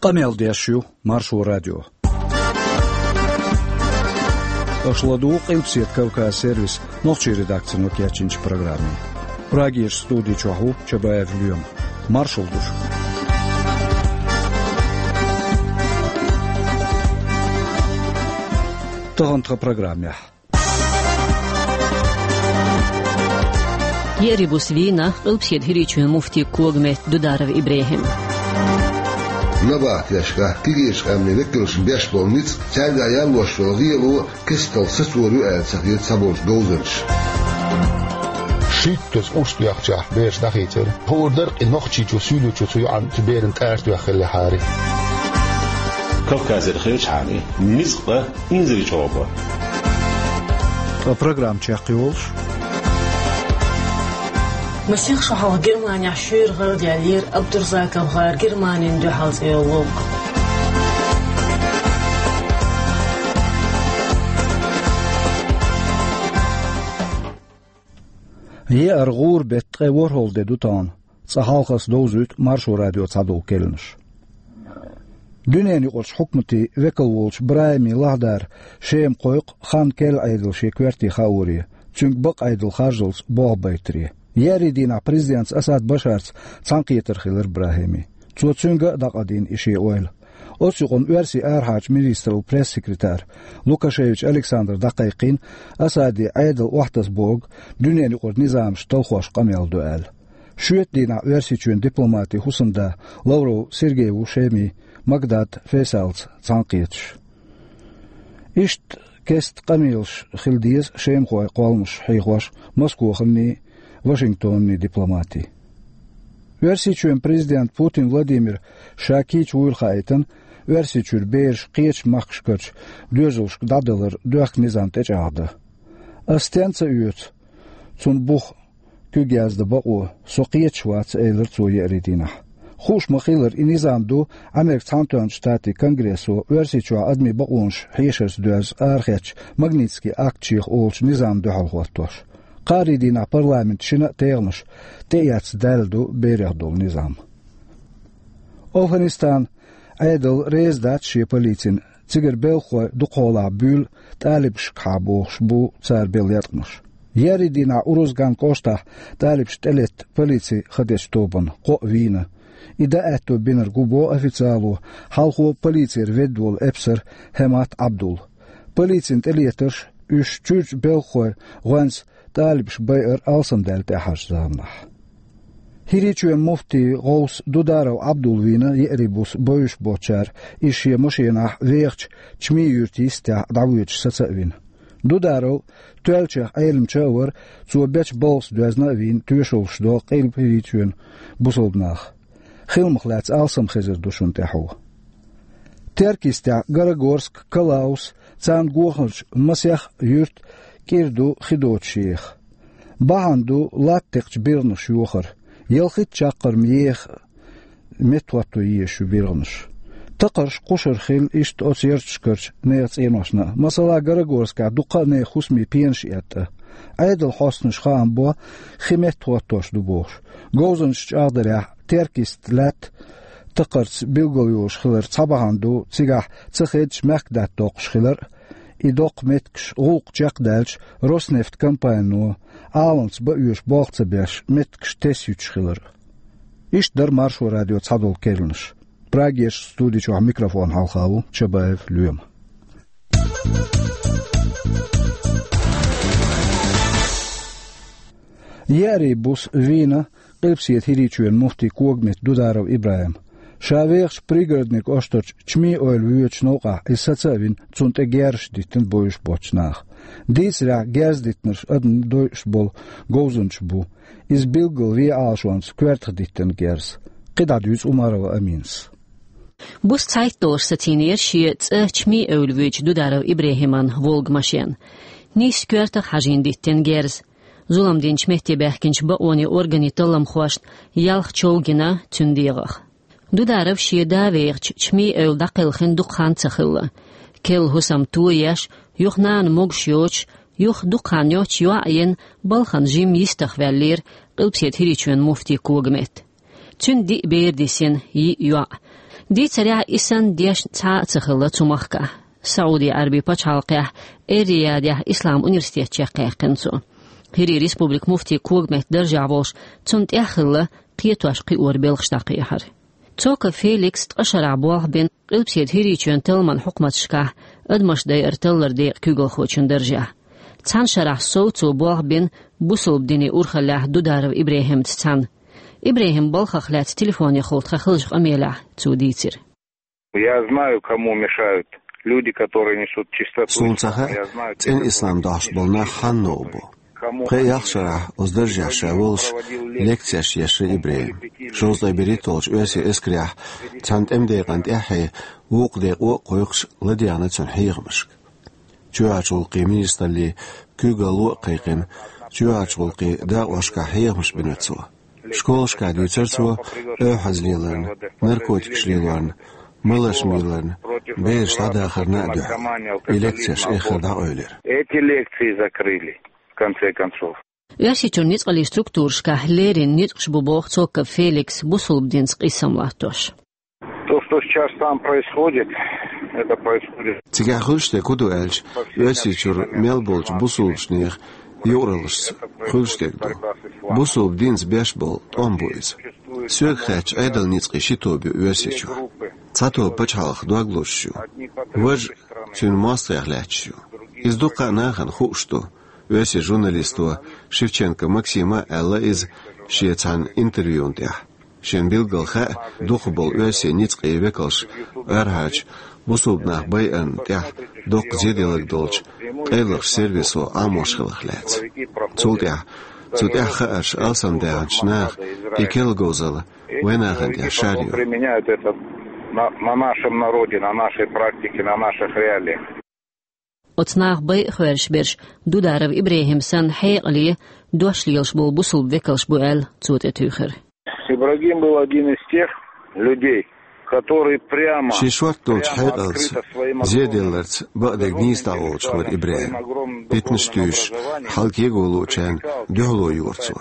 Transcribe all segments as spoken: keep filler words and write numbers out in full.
Къамел деш ю Маршо радио. Аша ладугӀу Къилбаседа Кавказ сервисан нохчийн редакцино кечйинчу программе. Прагерчу студи чохь ву Чабаев Лоьма. Маршалла ду шуьга. Тахана тхан программехь. Еарин буса вийна Къилбаседа ХӀирийчоьнан муфтин когаметта Дударов ИбрахӀим. Набахтешкахь кегийчу къаьмнийн векалшна беш болу ницкъ, цаьргахь яллош йолу гӀело кестта сацор ю аьлла ца хета цхьаболчу говзанчаша. Шийтта урс доьхначохь бераш дӀахийцира. ХӀора дара и Нохчийчу, Суьйличу цу йоӀана цу берана тӀарта тоьхна хиллехьара. Кавказера хилчахьана, низкъа инзаре чӀогӀа. Ткъа программа чекхйолуш. Масех шо хьалха Германехь шуьйра гӀара даьллера Абдурзаков гӀар Германина дуьхьал цӀе йолу ловкъа. Еара гӀура беттан ткъе ворхӀалгӀа де ду тахана. Цкъа хьалха аса довзуьйту Маршо радион цхьадолу керланаш. Дуьненаюкъарчу хьукматийн векал волчу БрахӀими Лахьдара Шема кхойкху хан керла Ӏедал шен коьрте хааре, цуьнга бакъ Ӏедал харжалц болх байтаре. Еарин дийнахь президентаца Асад Башарца цхьаьнакхетар хилира БрахӀимин. Цо цуьнга а дӀакхайдина и шен ойла. Оцу юкъана оьрсийн арахьарчу министраллан пресс-секретара Лукашевич Александра дӀакхайкхийна, Асаде Ӏедал охьатасабо дуьненаюкъара низамаш талхош къамел до аьлла. Шоьтан дийнахь Оьрсийчоьнан дипломатийн хӀусамда Лавров Сергей ву Шемин Магдади Фейсалца цхьаьнакхеташ. Иштта кестта къамелаш хила деза шемахойн кхолламаш хьехош Москваханний, Вашингтонний дипломатийн. Оьрсийчоьнан президента Путин Владимира ша кийча вуйла хаийтина, Оьрсийчуьра бераш кхечу махкашкарчу доьзалшка дӀадалар доьхку низам тӀечӀагӀдан. Ас стенна ца оьцу цунна бух куьг яздан бакъо, со кхеташ вац, элира цо еарин дийнахь. Хууш ма-хиллара, и низам ду Америкин Цхьаьнатоьхначу Штатийн Конгрессо Оьрсийчохь адамийн бакъонаш хьешарца доьзна арахецначу Магнитскийн акташех олучу низамна дуьхьал хӀоттош. Кхаарин дийнахь парламентан шина а тегӀанаш тӀеэцна даьлла ду берех долу низам. Афганистанан Ӏедал реза дац шен полицина, цигара белхахой дукхахьолахь буьйлу тӀалибашкахьа бохуш бу цара белла еткъамаш. Еарин дийнахь Урузган кӀоштахь тӀалибаш тӀелетта полицин ха дечу тобанна кхоъ вийна. И дӀааьтто бинарг ву боху официало хьалхо полицера ведда волу эпсар Хьемат Ӏабдул. Полицина тӀелетарш, уьш чуьрачу белхахойн гӀоьнца тӀалибаш байар алсамдаьлла тӀаьхьарчу заманахь. ХӀирийчоьнан муфтийн гӀовс Дударов Ӏабдул вийна еарин буса бовзуш боцучара, иза шен машенахь вехачу Чми-Юьртан йистехь дӀавоьдуш саца а вина. Дударов тоьллачех Ӏеламча а вара, цо бечу балхаца доьзна а вийна, тоьшаллаш до Къилба ХӀирийчоьнан бусалба нах. Хиламах лаьцна алсам хезар ду шуна тӀаьхьо. Теркйистехь Горогорск, Калаус, царна гонахарчу масех юьрт кӀира ду хи доцуш еха. Бахьана ду латта текхачу биргӀанаш йохар, ялхитта чаккхарма еха меттахӀотто езаш ю биргӀанаш. Такхарш кхушара хилла иштта оцу ярташкарчу нехан цӀеношна а. Масала, Горогорскехь дуккха а нехан хӀусамийн пенаш этта. Ӏедалан хьостанаша хаам бо, хи меттахӀоттош ду бохуш. Говзанчаша чӀагӀдарехь, Теркйист лаьтта такхарца билгалйолуш хилар цхьа бахьана ду, цигахь ца хеддаш мехкдаьтта доккхуш хилар а, и доккху меттигаш гӀуллакх чекхдаьлча, Роснефт компанино Ӏаланца бан оьшу болх ца беш, меттигаш тесна юьтуш хилар а. Иштта дара Маршо радион цхьадолу керланаш. Прагерчу студи чохь микрофон хьалха ву Чабаев Лоьма. Еарин буса вийна Къилбаседа ХӀирийчоьнан муфтийн когаметта Дударов ИбрахӀим. Ша вехачу Пригородни кӀоштарчу Чми-Эвла воьдучу новкъахь иза саца а вина, цунна тӀе герзаш диттина бовзуш боцчу наха. Дийцарехь, герз диттинарш адамна дойуш болу говзанчаш бу. Иза билггал вен Ӏалашонца коьртах диттина герз. КхидӀа дуьйцу Умарова Аминас. Буса цхьайтталгӀа сацийнера шен цӀа Чми-Эвла воьдучу Дударов ИбрахӀиман «Волга» машен. Нийсса коьртах хьажийна диттина герз. Зулам динчу метте баьхкинчу бакъонийн органийн талламхошна ялх чов гина цуьнан дегӀах. Дударов шен да вехачу Чми-Эвла дӀакхелхина дукха хан ца хилла. Керла хӀусам тоеш, юха нана могуш йоцуш, юха дукха хан йоццуш йоӀ а йина, балхана жимма йистах ваьллера Къилбаседа ХӀирийчоьнан муфтийн когаметта. Цуьнан диъ бер дисина, йиъ йоӀ. Дийцарехь, и санна дешна цхьа а ца хилла цу махкахь. СаӀуди-Ӏаьрби пачхьалкхехь Эр-Риядехь ислам университет чекхъяьккхина цо. ХӀирийн республикан муфтин когаметта даржехь волуш, цунна тӀехь а хилла кхетош-кхиоран белхаш дӀакхехьар. Цоков Феликса ткъа шарахь болх бина Къилбаседа ХӀирийчоьнан талламан хьукматашкахь адамаш дайар таллар декъан куьйгалхочун даржехь. Цхьана шарахь сов цо болх бина бусалба динан урхаллехь Дударов ИбрахӀимца цхьаьна. ИбрахӀиман балхах лаьцна телефонехула тхан хиллачу къамелехь цо дийцира. Я знаю, кому мешают люди, которые несут чистоту. Суна ца хаьа, цӀена ислам дохьуш болу нах хьанна новкъа бу. Пхеа-ялх шарахь оцу даржехь ша волуш, лекцеш еш вара ИбрахӀим. Шовзткъе берхӀитталгӀачу оьрсийн эскарехь цхьана тӀеман декъана тӀаьххье вукху декъо а кхойкхуш, ладегӀна цуьнан хьехамашка. Чоьхьарчу гӀуллакхийн министраллин куьйгалло а кхайкхина, чоьхьарчу гӀуллакхийн дакъошкахь хьехамаш бина цо. Школашкахь дуьйцура цо оьвхьаза леларна, наркотикаш лелорна, маларш мийларна, бераш дӀадахарна а дуьхьал. И лекцеш эххар дӀакъевлира. Эти лекции закрыли, в конце концов. Оьрсийчуьра ницкъаллин структурашкахь леррина ницкъаш бу, боху Цоков Феликса, бусалба динца къийсам латтош. То, что сейчас там происходит, это происходит. Цигахь хуьлуш дерг хӀун ду аьлча, Оьрсийчуьра мел болчу бусалбачу нехан юкъараллашца хуьлуш дерг ду. Бусалба динца беш болу тӀом бу иза. Соьга хаьттича, Ӏедалан ницкъийн ши тоба ю Оьрсийчохь. Цхьа тоба пачхьалкхан дог лозуш ю. Важа цуьнан мостагӀех лаьтташ ю. Иза дуккха а нахана хууш ду. Оьрсийн журналисто Шевченко Максима аьлла иза шен цхьана интервьюна тӀехь. Шена билггал хаьа дукхахболу оьрсийн ницкъийн векалш арахьарчу бусалба нах байарна тӀехь доккха зеделларг долчу къайлахчу сервисо Ӏамош хиларх лаьцна. Цул тӀаьхьа цу тӀехь хаарш алсамдаьхначу наха и керла говзалла вайн нахана тӀехь шарйо. Применяют это на, на нашем народе, на нашей практике, на наших реалиях. Оцу наха байа а хьоьжуш берш, Дударов ИбрахӀим санна, хьекъале дош лелаш болу бусалба векалш бу аьлла, цо тӀетуьйхира. Ибрагим был один из тех людей, который прямо, шен шорта долчу хьекъалца, зеделларца бакъдерг нийса дӀаволучу хӀара ИбрахӀим. Питанаш туьйсуш, хьалакего луучарна дуьхьало йора цо.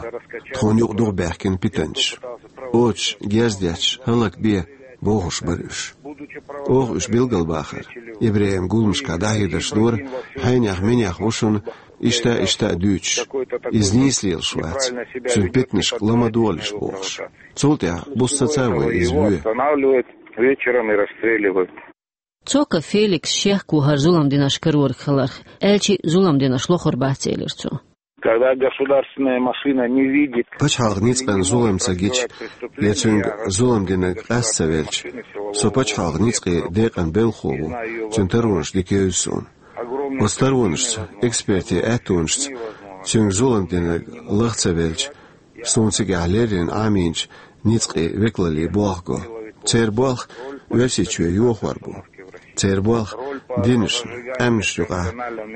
Тхуна юкъа дукха баьхкина питанчаш. Оцуш герз детташ хӀаллакбе бохуш бара уьш. Оха уьш билгалбахара. ИбрахӀим гуламашкахь дӀахьедарш дора, хьенех-минех ву шуна, иштта а, иштта а дуьйцуш. Иза нийса лелаш вац, цуьнан питанашка ла ма долийша бохуш. Цул тӀаьхьа буса ца ца вай иза ве. Останавливают вечером и расстреливают. Цоков Феликс шеко хӀара зулам динарш карориг хиларх, аьлча а зулам динарш лохур бац, элира цо. Когда государственная машина не видит. Пачхьалкхан ницкъан зулам ца гича, я цуьнга зулам динарг къаста ца велча, со пачхьалкхан ницкъийн декъан белхахо ву, цуьнан таронаш дика евза суна. Оцу таронашца, экспертийн аьттонашца цуьнга зулам динарг лаха ца велча, суна цигахь леррина Ӏамийначу ницкъийн векалаллин болх го. Церан болх Оьрсийчоь йохор бу. Церан болх динашна, къаьмнашна юкъахь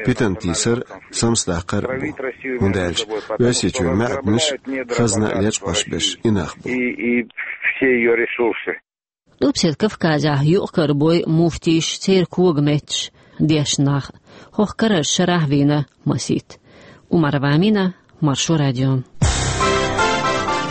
питана тийсар а, самсадаккхар а бу. ХӀунда аьлча Оьрсийчоьнан маьӀданаш а, хазна а лечкъош берш и нах бу. И, и все её ресурсы. Къилбаседа Кавказехь юкъ-кара бойу муфтийш, церан когаметташ, дешна нах. ХӀокху карарчу шарахь вийна масийтта. Умарова Амина, Маршо радио.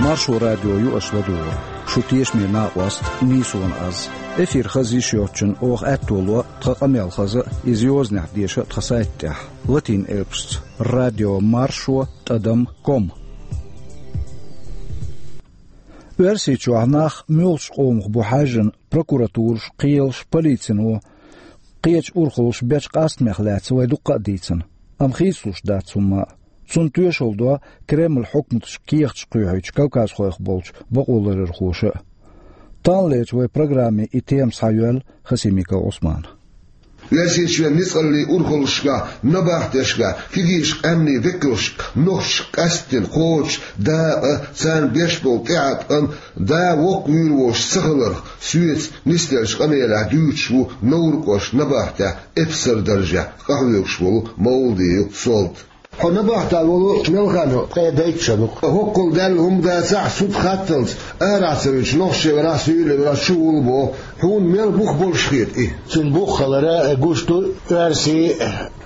Маршо радио ю аша ладугӀург. Шу тешаме накъост, нийсонан аз. Эфир хаза йиш йоцчунна оха аьтто ло тхан къамел хаза а, иза йозанехь деша а тхан сайта тӀехь, латин элпашца: радио маршо тӀадам ком. Оьрсийчохь нах муьлхачу къомах бу хьаьжжина прокуратураш, кхелаш, полицино, кхечу урхаллаша бечу къастамех лаьцна вай дуккха а дийцина. Амма хийцалуш дац хӀумма а. Цунна тоьшалла до Кремлан хьукматаша кехаташ кхоьхьуьйтуш кавказхойх болчу бакъоларъярхоша а. Таханлерчу вай программин и тема схьайоьллу Хасимиков Ӏусмана. Оьрсийчоьнан ницкъаллин урхаллашкахь, набахтешкахь, кегийчу къаьмнийн векалшка, нохчашка къаьсттина кхочуш дакъа, царна беш болу тӀеӀаткъам, да воккха вуьйр волуш ца хиларх, соьца нисделлачу къамелехь дуьйцуш ву Невран кӀоштан набахтехь эпсаран даржехь къахьоьгуш волу Мовладиев Солт. Хьо набахтехь волу мел хан ю, ткъе дейтта шо ду-кх. ХӀоккхул даьлла хӀума дацахь, суд хатталц, арахь ца вуьтуш, нохчий верахь, суьйлийн верахь, чу вуьллу боху. Хьуна мел бух болуш хета и? Цуьнан бух хилар гуш ду, оьрсий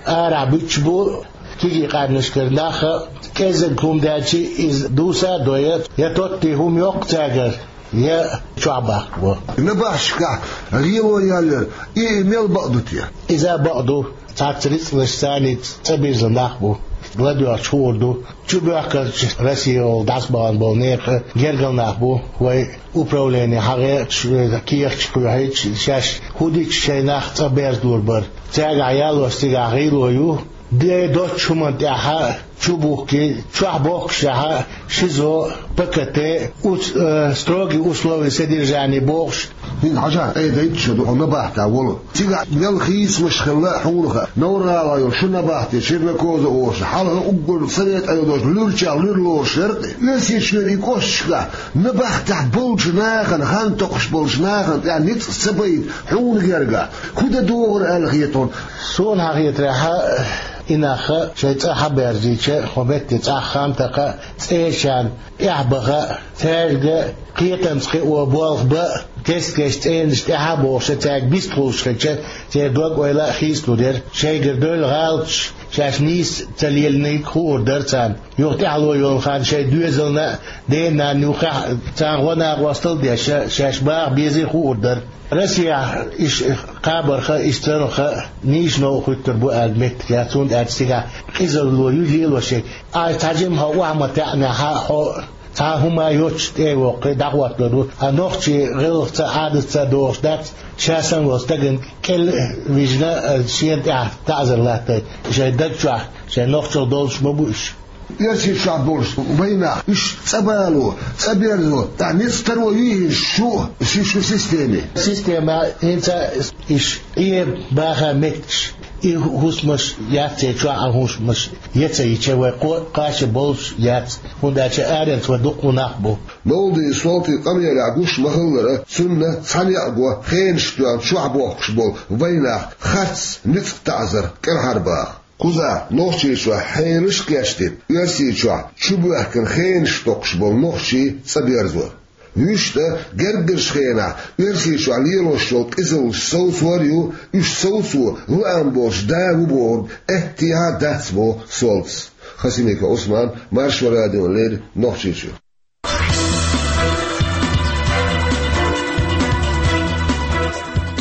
арахь буьтуш бу кегий къаьмнашкара нах а, кӀеззиг хӀума даьлча иза дуса а дой, я тоттий хӀума йоккху цаьргара, я чохь бахка бу. Набахташкахь лело яллера, и мел бакъ ду те? Иза бакъ ду. Цхьацца рицкъанаш царница цӀа бирзина нах бу. ЛадоьгӀча хуур ду. Чубоьхкарчу Россиехула дӀасабахана болу нехан гергара нах бу, вай управлени хьагӀе, ш-, кехаташ кхоьхьийча, шаьш хӀун дича шайн нах цӀа берзалур бара. Цаьргахь ялош цигахь гӀийло ю. Де доцчу хӀуманна тӀехь чубухкий, чохь бохкушехь, ШИЗО, ПКТ, ус-, э, строгий условия содержания бохуш. ХӀинца хьажахь, айдайтта шу ду хьо набахтехь волу. Цигахь мел хийцамаш хилла хьуна хаьа. Новр-ГӀалахь йолу ши набахти, Чернокозово олуш, хьалха уггар Совет Ӏедалша луьрачех луьра лоруш яра те. Оьрсийчоьнан и кӀошташкахь набахтехь болчу нахана, хан токхуш болчу нахана тӀехь ницкъ ца байта хьуна гергахь, хӀун дан догӀура аьлла хета хьуна? Суна хьан хетарехь, и нах шайн цӀа хьаберзийча, хьо метте цӀахь хан такха, цӀерачарна тӀаьхьа баха, цаьрга кхетамца кхио болх бан, кест-кеста цӀенаш тӀаьхьа а бохуш, цаьрга бистхуьлуш хилча, церан дог-ойла а хийцалур яра. Шайгара девлла гӀалаташ шаьш нийса ца лелийнарг хуур дара царна. Юха тӀаьхьало йолу хан шайн доьзална а, ден-нанна юххехь а царна гӀо-накъосталла а деш, шаьш баха безий хуур дара. Россехь иштта кхабарха, иштта царах нийса новкъа хӀуьттур бу аьлла меттиг яц, хӀунда аьлча цигахь къизалло ю лелош ерг. Ай, цхьа жимма хьо охьа ма таьӀнехь, хьо цхьа хӀума йоцуш тӀе а воккхий, дӀахӀоттор ву. Ткъа нохчийн гӀиллакхца а, Ӏадатца а догӀуш дац, ша санна волу стагана кӀел а вижна, шена тӀехь таӀзар латтай. Шайн даг чохь, шайн нохчалла долуш ма бу уьш. Оьрсийчохь болуш вайн нах, уьш цӀа бало, цӀа берзо, тӀаккха ницкъ таро юй хӀинца шу, ши шу системе? Система хӀинца иш Ӏе баха меттигаш, и хӀусамаш яц, церан чохь а хӀусамаш я ца йича, вай кхо-, кхача болуш яц, хӀунда аьлча аренца вай дуккха нах бу. Нолди Солти къамелехь гуш ма-хиллара, цунна цхьа некъ го хенаш тоьхна чохь бохкуш болу вайн нах харц ницкъ таӀзар кӀелхьарбаха. Кхузахь Нохчийчохь хьелаш а кечдина, Оьрсийчохь чубоьхкина хенаш токхуш болу нохчий цӀа берзор. Вуьшта герггарчу хенахь Оьрсийчохь лелош йолу къизаллаш совцор а ю, уьш совцо лаам болуш да ву бохург аьттехьа а дац, боху Солтис. Хасимиков Ӏусман, Маршо радиона леррина, Нохчийчуьра.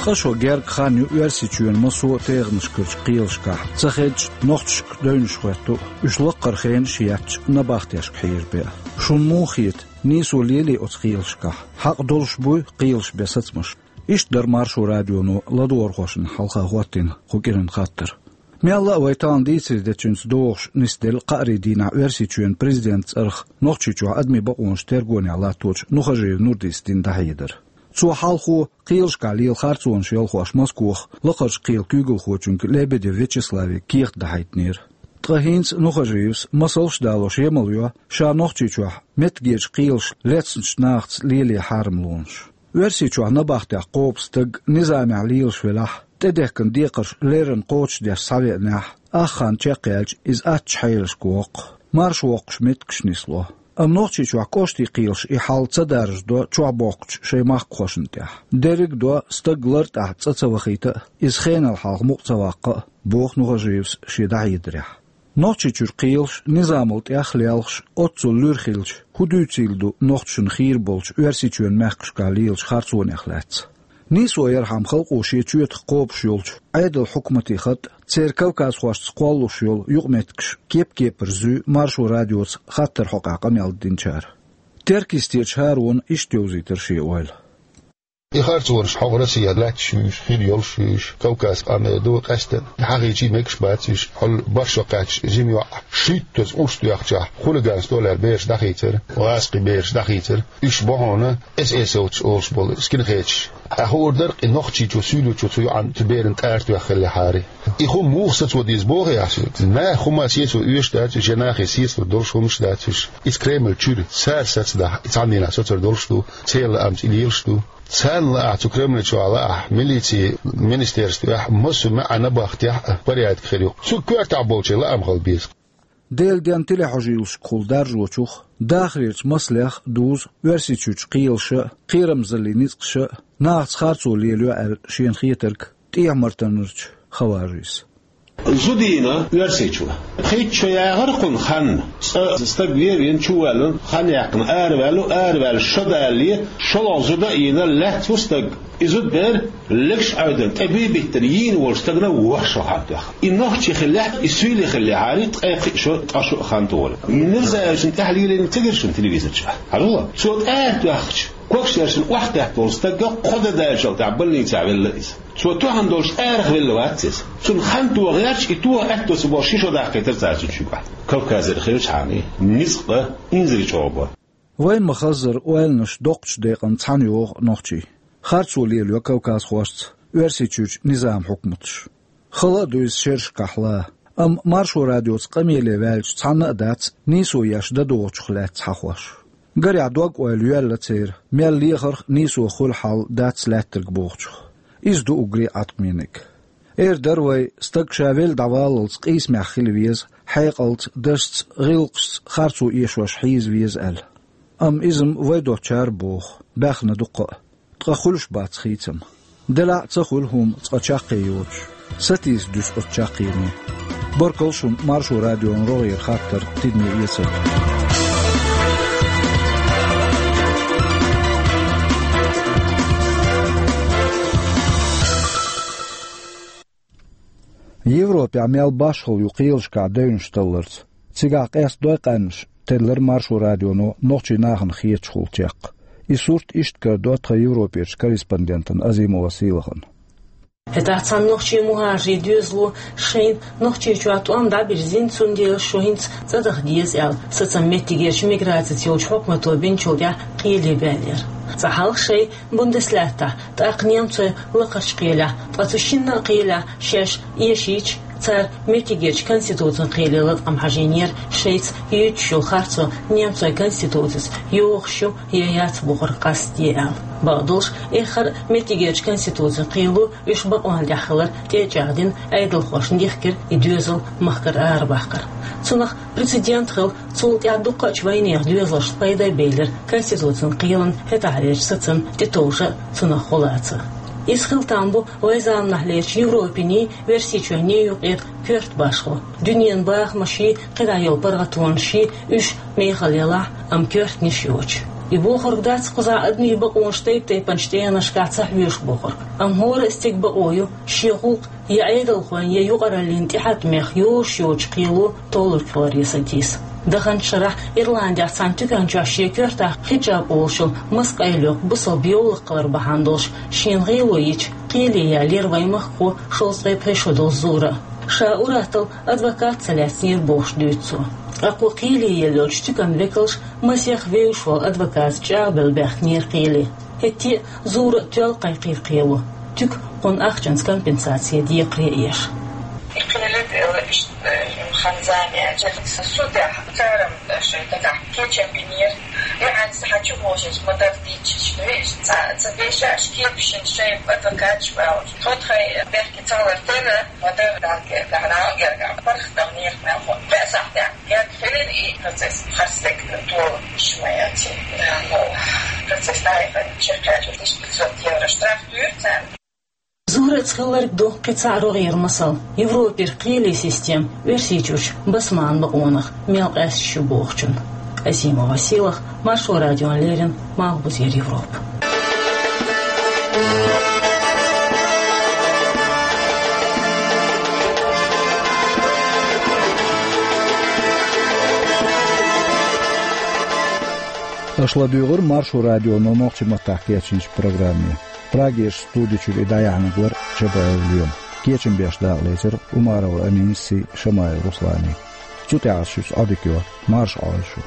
Ткъа шо герга хан ю Оьрсийчоьнан массо а тӀегӀанашкарчу кхелашкахь, ца хедча, нохчашка девнаш хоьтту, уьш лаккхара хенаш а етташ, набахтешка хьежабе. Шуна муха хета, нийсо лелий оцу кхелашкахь? Хьакъ долуш буй кхелаш бен сацамаш? Иштта дара Маршо радионо ладогӀархошна хьалха хӀоттийна кху кӀиран хаттар. Мелла а вай тахана дийцаре дечуьнца догӀуш нисделла кхаарин дийнахь Оьрсийчоьнан президентан цӀарах Нохчийчохь адамийн бакъонаш тергонехь латточу Нухажиев Нурдис дина дӀахьедар. Цо хьалхо кхелашкахь лела харцонаш ялхош Москвахь лакхарчу кхелан куьйгалхочуьнга Лебедев Вячеславе кехат дӀахьийтинера. Ткъа хӀинца Нухажиевс масалш а далош емал йо ша Нохчийчохь меттигерчу кхелаша лецначу нахаца лело хьарамлонаш. Оьрсийчохь набахтехь кхобу стаг низамехь лелаш велахь, тӀедехкина декхарш леррина кхочушдеш схьавеанехь, ах хан чекхъяьлча, иза аттачу хьелашка воккху, марша воккхуш меттигаш нисло. Амма Нохчийчохь кӀоштийн кхелаша и хьал ца даржадо чохь бохкучу шайн махкахошна тӀехь. Дерриг а до, стаг лартӀехь цӀа ца вахийта а, иза хенал хьалха мукъа ца ваккха а, боху Нухажиевс шен дӀахьедарехь. Нохчийчуьра кхелаш низамал тӀех а лелхаш, оццул луьра хилча, хӀун дуьйцийла ду нохчашна хийра болчу Оьрсийчоьнан мехкашкахь лелачу харцонех лаьцна? Нийсо ярхьама халкъо шен чоьтах кхобуш йолчу Ӏедалан хьукматийн хатӀ а, церан кавказхошца кхоллалуш йолу юкъаметтигаш кеп-кепара зуьй Маршо радиоца хаттаран хьокъехь къамел динчара. Теркйистерчу ХӀарона иштта йовзийтира шен ойла. И харцонаш хьо Россехь лаьтташ ю уьш, хир йолуш ю уьш, Кавказ къам эр ду, къаьсттина хьахийча мегаш бац уьш, хьол бархӀ шо кхаьчча жима йоӀ шуьйттаза урс тоьхчахь, хулиганство аьлла бераш дӀахийцира, гӀазкхий бераш дӀахийцира. Уьш бу хьуна эсэсовцаш олуш болу скинхедаш. Ахьа хуур дара, и Нохчийчоь, суьйлечоь цу йоӀана, цу берана тӀара тоьхна хиллехьара. И хӀума муха сацо деза боху ахь соьга? Наха хӀума сецо оьшуш дац уьш, я нахе сецалур долуш хӀумнаш дац уьш. Иза Кремль чуьра цара сацадахь, и цхьанненахь соцур долуш ду, церан лаамца и лелаш ду. Царна лаахь, цу Кремль чохь лаахь, милицин министерствехь, массо а маьӀна бахтехь а порядок хир ю. Цу коьртехь болчийн лаам хила беза. Делан денна телехьожийлашкахула даржочух, дахарерчу масалех а дузу Оьрсийчуьрчу кхелаша а, кхерамзаллин ницкъаша а нахаца харцо лелайо аьлла шена хетарг ТӀехьа-Мартанарчу Хаважис. Зуда йина Оьрсийчу. Пхийтта шо яхар кхунна ханна. Цкъа стаг вен, вен чу ваьлла, хан яьккхина араваьлла, араваьлла шо далале, шолгӀа зуда а йина, лаьцна ву стаг. И зуда бер легаш Ӏовдал, тӀе буй биттина, йийна волчу стагана вахаш ву хан тоьхна. И нохчи хиллехь, и суьйли хиллехьара, ткъе пхиъ шо, ткъа шо а хан тухура. Мирзаевична тӀаьхьа лелийна ца гира шуна телевизор чохь? Хьажал, цо тӀара тоьхча, когаш яршина охьатаьхна волу стаг кхо де даьллачул тӀаьхьа больница велла иза. Цо тоьхна долуш арахь велла вац иза. Цунна хан тоха гӀерташ, и тоха аьтто ца болуш ши шо даккхийтира цара цуьнан чуьгахь. Кавказера хилчахьана, ницкъ а, инзаре чӀогӀа бо. Вайн ма-хаззара, ойланаш доккхачу декъана цхьаьна йогӀу нохчий. Харцо лелайо кавказхошца Оьрсийчуьрчу низам-хьукматаш. Хала а ду иза шерашкахь лан. Амма Маршо радиоца къамеле ваьллачу цхьанна а дац нийсо еш дан догӀучух лаьцна хьахош. Гарехь, дог-ойла йоьлла церан, мел лехарх а, нийсо хуьлу хьал дац лаьттарг бохучух. Иза ду уггаре а Ӏаткъамийнарг. Эр дара вай, стаг ша велла дӀаваллалц къийсамехь хила веза, хьекъалца, дашца, гӀиллакхашца харцо эшош хьийза веза аьлла. Амма иза-м вай доцучара боху, баьхна дуккха а. Ткъа хуьлуш бац хийцам. Делахь а ца хуьлу хӀума цкъа чаккхе йоцуш. Сатийса дуьсу оцу чаккхене. Баркалла шуна Маршо радион рогӀера хаттар, тидаме эцар. Европехь мел башхалла ю кхелашкахь девнаш талларца. Цигахь къестадой къаьмнаш, теллира Маршо радионо нохчийн нахана хеташ хуьлу чекх. И сурт иштта карадо тхан Европерчу корреспондентана Азимова Сийлахана. ХӀетахь цхьана нохчийн мухӀажарийн доьзало шайна Нохчийчохь тӀом дӀабирзина, цундела шу хӀинца цӀа даха деза аьлла, сацам меттигерчу миграцица йолчу хьукмато бинчул тӀаьхьа кхеле баьллера. Цкъа хьалха шайн Бундеслаьттахь, тӀаккха немцойн лакхарчу кхелехь, ткъа цу шинна а кхелехь шаьш эшийча, цара меттигерчу конституцин кхеле латкъам хьажийнера, шайца юьйцуш йолу харцо немцойн конституцица йогӀуш ю я яц бохург къастаде аьлла. Бакъдолуш, эххар а меттигерчу конституцин кхело уьш бакъонна тӀехь хилар тӀе а чӀагӀдина, Ӏедалхошна дихкира и доьзал махкара арабахкар. Цунах прецедент хилла, цул тӀаьхьа дуккхачу вайнехан доьзалшна пайда а белира конституцин кхелан хӀетахьлерчу сацамна тӀетовжа а, цунах гӀо лаца а. Иза хила там бу вайн заманахьлерчу Европиний, Оьрсийчойний юкъара коьрта башхо. Дуьненан бахамаший, кхидӀа йолу паргӀатонаший уьш мехала ялахь, амма коьртаниш йоцуш. И бохург дац, кхузахь адамийн бакъонаш тайп-тайпанчу тӀегӀанашкахь ца хьоьшу бохург. Амма хӀора а стеган бакъо ю, шен гӀуллакх я Ӏедалхойн, я юкъараллин тӀехьа тӀамех йозуш йоцучу кхело толлург хиларе сатийса. Даханчу шарахь Ирландехь цхьана туькан чохь шен коьртахь хиджаб олуш йолу маса къайлайоккху бусалба йовлакх хилар бахьана долуш шена гӀело йича, кхеле яьллера вайн махкахо шовзткъе пхи шо долу Зура. Ша ур-атталла адвокат ца лаьцнера бохуш дуьйцу цо. Ткъа кху кхеле елла йолчу туьканан векалша масех вевзаш волу адвокатца чӀагӀбелла баьхкинера кхеле. ХӀетте а Зура а тоьлла кхайкхийра кхело, туька кхунна ахчанца компенсаци декхаре а еш. И кхеле а делла иштта, э, хан-зама яьлча, сан судехь, цара-м, э, шайн дагахь кечам бинера. И хьанца хьан чу вожаш, ма-дарра дийцича, вешан ца, ца дешаш, кепашна шайн адвокаташ баьлла. Тхо тхайн бехке ца хилар тера, ма-дарра Далла, Далла гергахь, паргӀатам нехан мел хӀун. Пхи сахьтехь герга хилира и процесс, харцдерг тола йиш ма яц. Да, ну, процесс дӀаяхана чекхъяьлча, тысяча пятьсот евро штраф туьйра царна. Зураца хилларг ду кхин цхьа рогӀера масал. Европера кхеле система Оьрсийчуьрчу басманан бакъонах мел къаьсташ ю бохучун. Азимова Сийлаха, Маршо радиона леррина, Малхбузера Европа. Аша ладуьйгӀира Маршо радионо нохчийн маттахь кечйинчу программе. Прагерчу студи чуьра и дӀаяьхьнарг вара Чабаев Лема. Кечам беш дакъалецира Умарова Аминас а, Шамаев Руслана а. Цу тӀехь ас шуьца Ӏодика йо, марша Ӏойла шу.